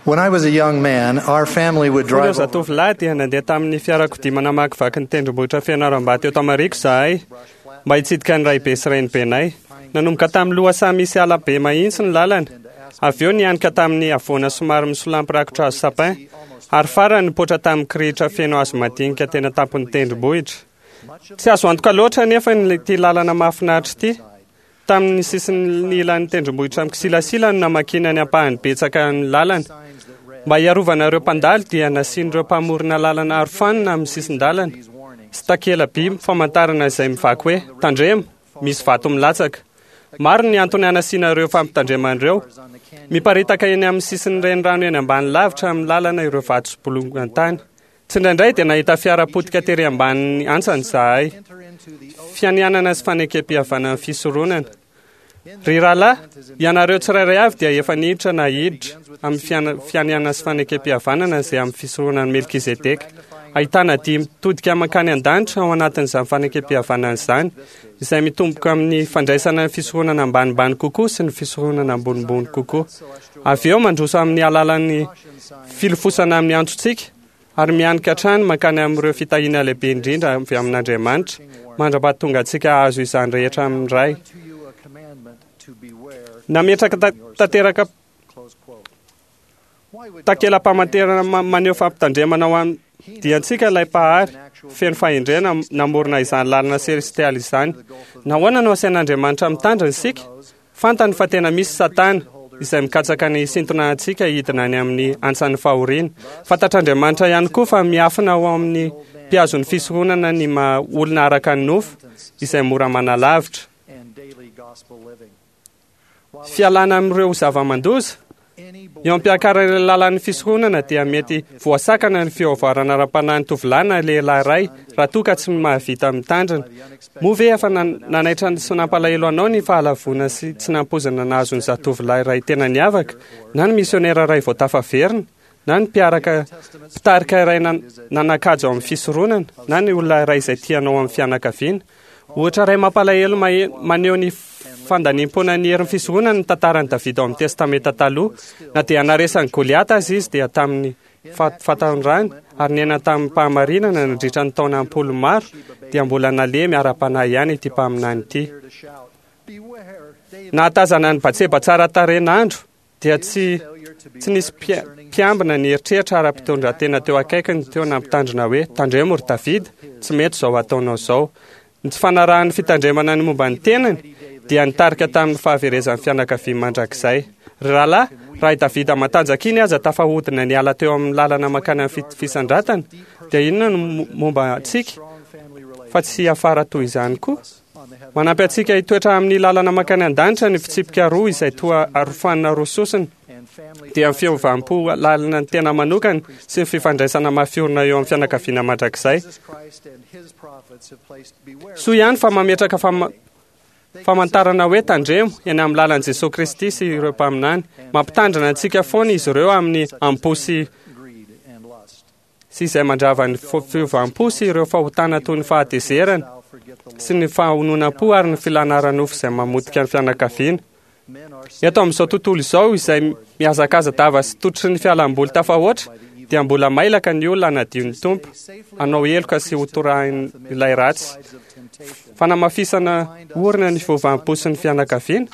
When I was a young man, our family would Fony aho drive over zatovolahy dia nandeha tamin'ny fiarakodia namakivaky ny tendrombohitra Fianarantsoa teto Amariko izahay mba hitsidika ny raibe sy renibenay. Nanomboka tamin'ny lohasaha misy ala be mahitsy ny lalana. Avy eo nianika tamin'ny havoana somary misolampy rakotra hazo sapin ary farany nipoitra tamin'ny kirihitra feno hazo madinika tena tampon'ny tendrombohitra. Tsy azo antoka loatra anefa ny ity lalana mahafinaritra ity. Tamin'ny sisin'ny ilan'ny tendrombohitra mikisilasila no namakiana ny ampahany betsaka ny lalana. Mba hiarovana ireo mpandalo dia nasian'ireo mpamorona lalana arofanina amin'ny sisin-dalana sy takela-by famantarana izay mivaky hoe tandremo, misy vato milatsaka. Maro ny antony hanasiana ireo fampitandremana ireo. Miparitaka eny amin'ny sisin'ny renirano eny ambany lavitra amin'ny lalana ireo vato sy bolongan-tany. Tsindraindray dia nahita fiara potika tery ambanin'ny antsany izahay. Fianianana sy fanekem-pihavanan'ny fisoronana. Ry rahalahy, ianareo tsirairay avy dia efa niditra na hiditra amin'ny fiana- fianianana sy fanekem-pihavanana izay amin'ny fisoronan'i Melkizedeka. Ahitana dihy mitodika mankany an-danitra ao anatin'izany fanekem-pihavanana izany, izay mitomboka amin'ny fandraisana ny fisoronana ambanimbany kokoa sy ny fisoronana ambonimbony kokoa. Avy eo mandroso amin'ny alalan'ny filofosana amin'ny antsontsika ary mianika hatrany mankany amin'ireo fitahiana lehibe indrindra avy amin'Andriamanitra, mandra-pahatonga antsika hahazo izany rehetra amin'ny Ray. to you a commandment to beware. Nametraka ta- tanteraka Close quote. Why would takela-pamantarana ma- maneho fampitandremana ho an diantsika ilay mpahary feno fahendrena namorona izany lalana selestialy izany. Nahoana no asain'Andriamanitra mitandrina isika? Fantany fa tena misy Satana izay mikatsaka ny hisintona antsika hidina any amin'ny antsan'ny fahoriana. Fantatr'Andriamanitra ihany koa fa miafina ao amin'ny mpihazon'ny fisoronana ny maha olona araka ny nofo izay mora manalavitra. and daily gospel living? While Fialana amin'ireo zava-mandoza any Eo am-piakarana ilay lalan'ny fisoronana dia mety voasakana ny fiovarana ara-panahy ny tovolahy na lehilahy iray raha toa ka tsy mahavita mitandrina. Moa ve efa nan- nanaitra sy nampalahelo anao ny fahalavoana sy tsy nampoizina nahazo ny zatovolahy iray tena niavaka, na ny misionera iray vao tafaverina, na ny mpiaraka mpitarika iray nan- nanan-kaja ao amin'ny fisoronana, na ny olona iray izay tianao amin'ny fianakaviana? Ohatra iray mampalahelo mahe- maneho ny fandaniam-poana ny herin'ny fisoronana ny tantaran'i Davida ao amin'ny Testamenta Taloha. Na dia naresan'i Goliata aza izy dia tamin'ny fa- fatanorany ary niaina tamin'ny fahamarinana nandritra ny taona am-polo maro dia mbola nalemy ara-panahy ihany ity mpaminany ity. here to shout, Beware, David, Nahatazana ny Batseba tsara tarehin'andro dia tsy failure to be tsy nisy mpia- mpiambina ny eritreritra ara-pitondran-tena teo akaikiny teo nampitandrina hoe tandremo ry Davida, tsy mety izao ataonao izao. Ny tsy fanarahan'ny fitandremana ny momba ny tenany dia nitarika tamin'ny fahaverezan'ny fianakaviany mandrakizay. Ry rahalahy, raha i Davida matanjaka iny aza tafahodina niala teo amin'ny lalana mankany amin'ny fit- fisandratana, dia inona no mo- momba antsika strong family relations fa tsy hiafara toy izany koa? on the heavenly Manampy antsika hitoetra amin'ny lalana mankany an-danitra ny fitsipika roa izay toa arofanina roa sosona and family dia ny fiovam-po lalina ny tena manokana sy ny fifandraisana mafiorina eo amin'ny fianakaviana mandrakizay. Jesus Christ and his prophets have placed beware. Soa ihany fa mametraka fama- famantarana hoe tandremo eny amin'ny lalan'i Jesosy Kristy sy ireo mpaminany. Mampitandrina antsika foana izy ireo amin'ny am-po sy greed and lust. sy izay mandrava ny fo- fiovam-po sy ireo fahotana toy ny fahatezerana Thou forget the Lord. sy ny fahononam-po ary ny filana ara-nofo izay mamotika ny fianakaviana. Men are Eto amin'izao tontolo izao izay mihazakaza-dava sy tototry ny fialamboly tafahoatra dia mbola mailaka ny olona hanadio ny Tompo, hanao heloka sy hotorahin'ilay ratsy. sides of temptation. Fanamafisana orina ny fiovam-po sy ny fianakaviana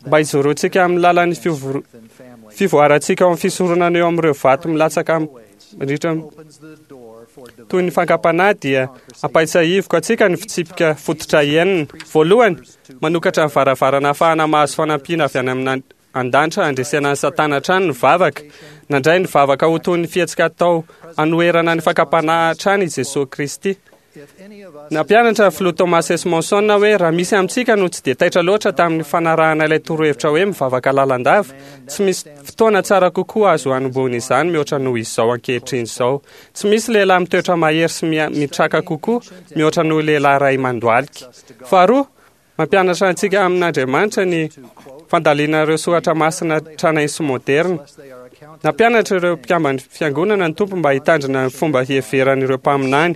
mba hijoroantsika amin'ny lalan'ny fiovor- And family fivoarantsika ao amin'ny fisoronana eo amin'ireo vato milatsaka mandritra opens the door for toy ny fankam-panahy dia ampahatsiahiviko antsika ny fitsipika fototra enina. Voalohany, manokatra ny varavarana ahafahana mahazo fanampiana avy any amin'ny an-danitra handresena ny Satana hatrany ny vavaka. Nandray ny vavaka ho toy ny fihetsika atao hanoherana ny fankam-panahy hatrany i Jesosy Kristy. If any of us Nampianatra ny filoha Thomas S. Monson hoe raha misy amintsika no tsy dia taitra loatra tamin'ny fanarahana ilay torohevitra hoe mivavaka lalandava, tsy misy fotoana tsara kokoa azo hanombohana izany mihoatra noho izao ankehitriny izao. Tsy misy lehilahy mitoetra mahery sy mia- mitraka kokoa mihoatra noho lehilahy iray mandohalika. Faharoa, mampianatra antsika amin'Andriamanitra ny fandalina ireo soratra masina tranainy sy moderna. lest they are accounted Nampianatra ireo mpikamban'ny fiangonana ny Tompo mba hitandrina ny fomba hiheveran'ireo mpaminany.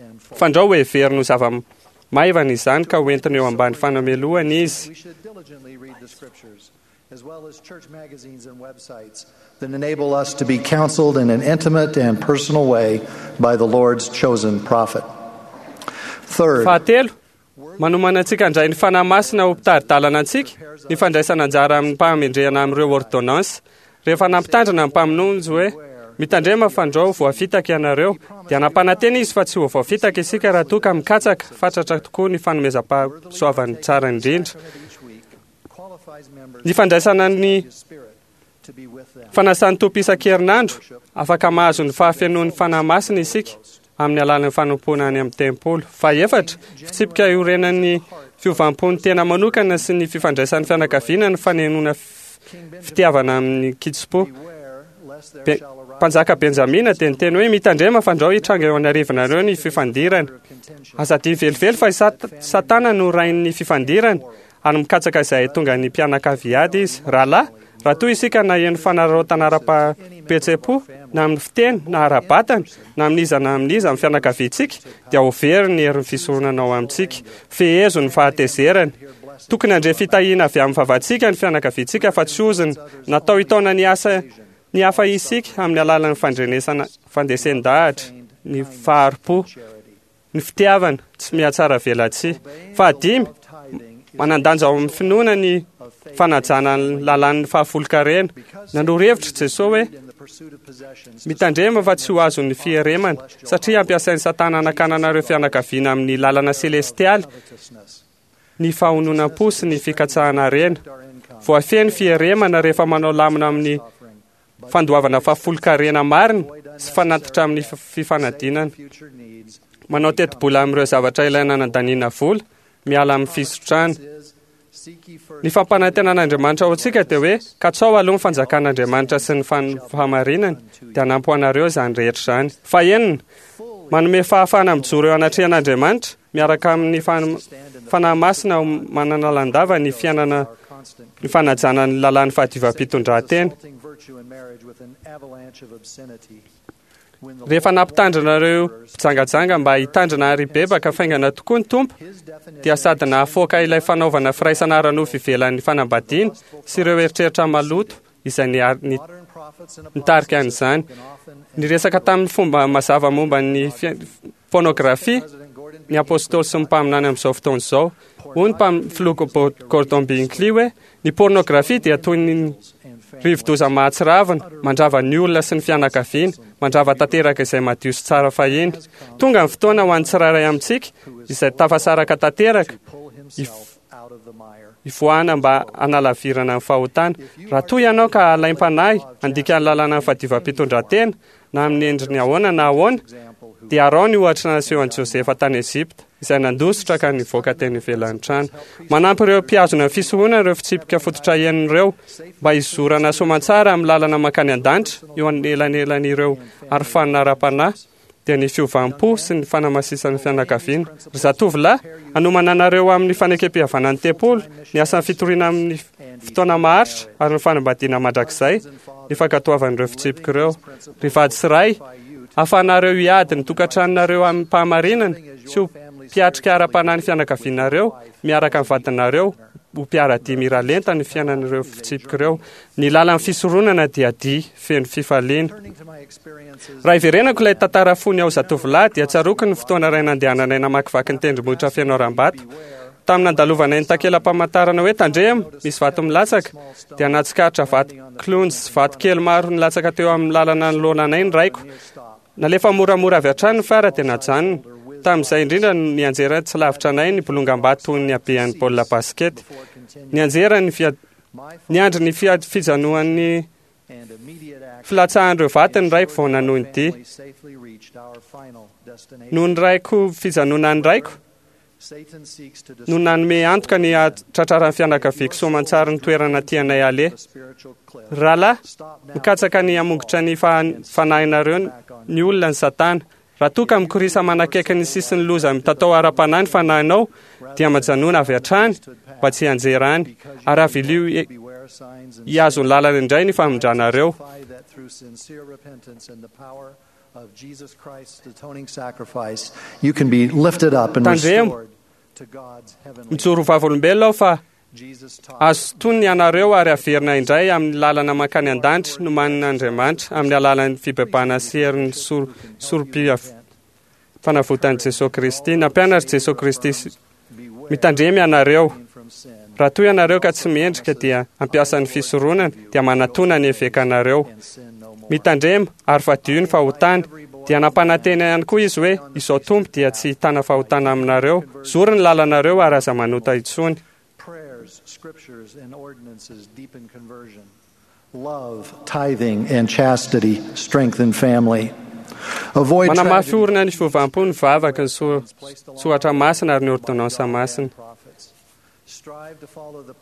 and for. Fandrao ho heveriny ho zava-maivana izany ka hoentina eo ambany fanamelohana izy. We should diligently read the scriptures. As well as church magazines and websites that enable us to be counseled in an intimate and personal way by the Lord's chosen prophet. Third, Fahatelo, manomana antsika handray ny Fanahy Masina ho mpitari-dalana antsika ny fandraisana anjara amin'ny mpahamendrehana amin'ireo ordonnance. Rehefa nampitandrina ny mpamonjy hoe mitandrema fandrao voafitaka ianareo, dia nampanantena izy fa tsy ho voafitaka isika raha toa ka mikatsaka fatratra tokoa ny fanomezam-pahasoavany tsara indrindra. Ny fandraisana ny fanasan'ny Tompo isan-kerinandro, afaka mahazo ny fahafenoan'ny Fanahy Masina isika amin'ny alalan'ny fanompoana any amin'ny tempoly. Fahefatra, fitsipika iorenan'ny fiovam-pon'ny tena manokana sy ny fifandraisan'ny fianakaviana ny fanenoana fitiavana amin'ny kitsim-po. Mpanjaka Benjamina dia niteny hoe mitandrema fandrao hitranga eo anarivinareo ny fifandirana. Aza adino velively fa i Satana no rain'ny fifandirana ary mikatsaka izay tonga ny mpianakavy hiady izy. Rahalahy, raha toa isika naheno fanararaotana ara-pihetseham-po na amin'ny fiteny na ara-batana na amin'iza na amin'iza amin'ny fianakaviantsika, dia ho very ny herin'ny fisoronana ao amintsika. Fehezo ny fahatezerana. Tokony handre fitahiana avy amin'ny vavantsika ny fianakaviantsika fa tsy ozona. Natao hitaona ny asa ny hafa isika amin'ny alalan'ny fandrenesana fandresen-dahatra, ny fahari-po, ny fitiavana tsy mihatsara velatsihy. Fahadimy, manan-danja ao amin'ny finoana ny fanajana ny lalàn'ny fahafolonkarena. Nanoro hevitra Jesosy hoe mitandrema fa tsy ho azon'ny fieremana, satria ampiasain'i Satana hanakanana ireo fianakaviana amin'ny lalana selestialy ny fahononam-po sy ny fikatsahana harena. Voafehy ny fieremana rehefa manao lamina amin'ny fandoavana fahafolonkarena marina sy fanatitra amin'ny fifanadinana. Manao tetibola amin'ireo zavatra ilaina nandaniana vola, miala amin'ny fisotrana. Ny fampanantenan'Andriamanitra ho antsika dia hoe katsao aloha ny fanjakan'Andriamanitra sy ny fahamarinany, dia hanampy ho anareo izany rehetra izany. Fahenina, manome fahafahana mijoro eo anatrehan'Andriamanitra miaraka amin'ny Fanahy Masina manana landava ny fiainana ny fanajana ny lalàn'ny fahadiovam-pitondrantena. Rehefa nampitandrina ireo mpijangajanga mba hitandrina ary hibebaka faingana tokoa ny Tompo, dia sady nahafoaka ilay fanaovana firaisana ara-nofo ivelan'ny fanambadiana sy ireo eritreritra maloto izay nitarika an'izany. Niresaka tamin'ny fomba mazava momba ny pornografia ny apôstôly sy ny mpaminany amin'izao fotoana izao. Hoy ny filoha Gordon Binkley hoe ny pornografia dia toy ny rivodoza mahatsiravina, mandrava ny olona sy ny fianakaviana, mandrava tanteraka izay madio sy tsara fahiny. Tonga ny fotoana ho an'ny tsirairay amintsika izay tafasaraka tanteraka hivoahana mba hanalavirana ny fahotana. Raha toa ianao ka alaim-panahy handika ny lalàna ny fahadiovam-pitondrantena, na amin'ny endriny ahoana na ahoana, dia araho ny ohatra nasehon'i Josefa tany Egypta, izay nandositra ka nivoaka teny ivelan'ny trano. Manampy ireo mpihazona ny fisoronana ireo fitsipika fototra enina ireo mba hizorana soamantsara amin'ny lalana mankany an-danitra eo anelanelan'ireo arofanina ara-panahy, dia ny fiovam-po sy ny fanamasisan'ny fianakaviana. Ry zatovolahy, hanomana anareo amin'ny fanekem-pihavanan'ny tempoly, ny asan'ny fitoriana amin'ny fotoana maharitra ary ny fanambadiana mandrakizay ny fankatoavan'ireo fitsipika ireo. Ry vady sy ray, ahafahanareo hiady ny tokantranonareo amim-pahamarinana sy ho mpiatrika ara-panahy ny fianakavianareo miaraka amin'ny vadinareo ho mpiara-dia miralenta ny fiainan'ireo fitsipika ireo. Ny lalan'ny fisoronana dia dia feno fifaliana. Raha iverenako ilay tantara fony aho zatovolahy dia tsaroako ny fotoana iray nandehananay namakivaky ny tendrombohitra feno harambato. Tamin'ny nandalovanay ny takela-pamantarana hoe tandremo, misy vato milatsaka, dia nahatsikaritra vato kilonjy sy vato kely maro nilatsaka teo amin'ny lalana nanoloana anay ny raiko. Nalefa moramora avy hatrany ny fiara dia najanona. Tamin'izay indrindra no nianjera tsy lavitra anay ny bolongam-bato toy ny habean'ny baolina basikety. Nianjera ny fia... Niandry ny fia... fijanoan'ny filatsahan'ireo vato ny raiko vao nanohy ny dia. Noho ny raiko fijanonan'ny raiko no nanome antoka ny hahatratraran'ny fianakaviako soamantsara ny toerana tianay haleha. Rahalahy, mikatsaka ny hamongotra ny fanahinareo ny olona ny Satana. Raha toa ka mikorisa manakaiky ny sisin'ny loza mitatao ara-panahy ny fanahinao, dia majanona avy hatrany mba tsy hianjera any, ary avilio hihazo ny lalana indray ny famindranareo. Tandremo, mijoro ho vavolombelona aho fa. Azo tonony ianareo ary averina indray amin'ny lalana mankany an-danitra nomanin'Andriamanitra amin'ny alalan'ny fibebahana sy herin'ny sorom-panavotan'i Jesosy Kristy. Nampianatra Jesosy Kristy mitandrema ianareo. Raha toa ianareo ka tsy mendrika dia hampiasa ny fisoronana, dia manatona ny evekanareo. Mitandrema ary fadio ny fahotana. Dia nampanantena ihany koa izy hoe izao Tompo dia tsy hitana fahotana aminareo. Zory ny lalanareo ary aza manota intsony. Prayers, scriptures, and ordinances deepen conversion. Love, tithing, and chastity strengthen family. Avoid Manamafy orina ny fiovam-po ny vavaka, ny soratra masina ary ny ordonnansa masina.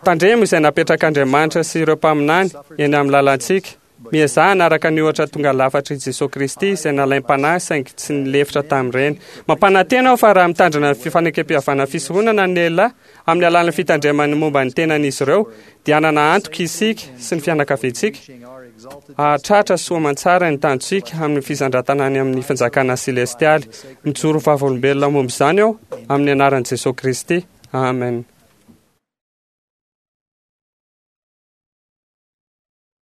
Tandremo izay napetrak'Andriamanitra sy ireo mpaminany eny amin'ny lalantsika. Miezaha hanaraka ny ohatra tonga lafatr'i Jesosy Kristy izay nalaim-panahy saingy tsy nilefitra tamin'ireny. Mampanantena aho fa raha mitandrina ny fifanekem-pihavanana fisoronana ny lehilahy amin'ny alalan'ny fitandremany momba ny tenan'izy ireo, dia hanana antoka isika sy ny fianakaviantsika hahatratra soa aman-tsara ny tanjontsika amin'ny fisandratana any amin'ny fanjakana selestialy. Mijoro vavolombelona momba izany aho amin'ny anaran'i Jesosy Kristy. Amen.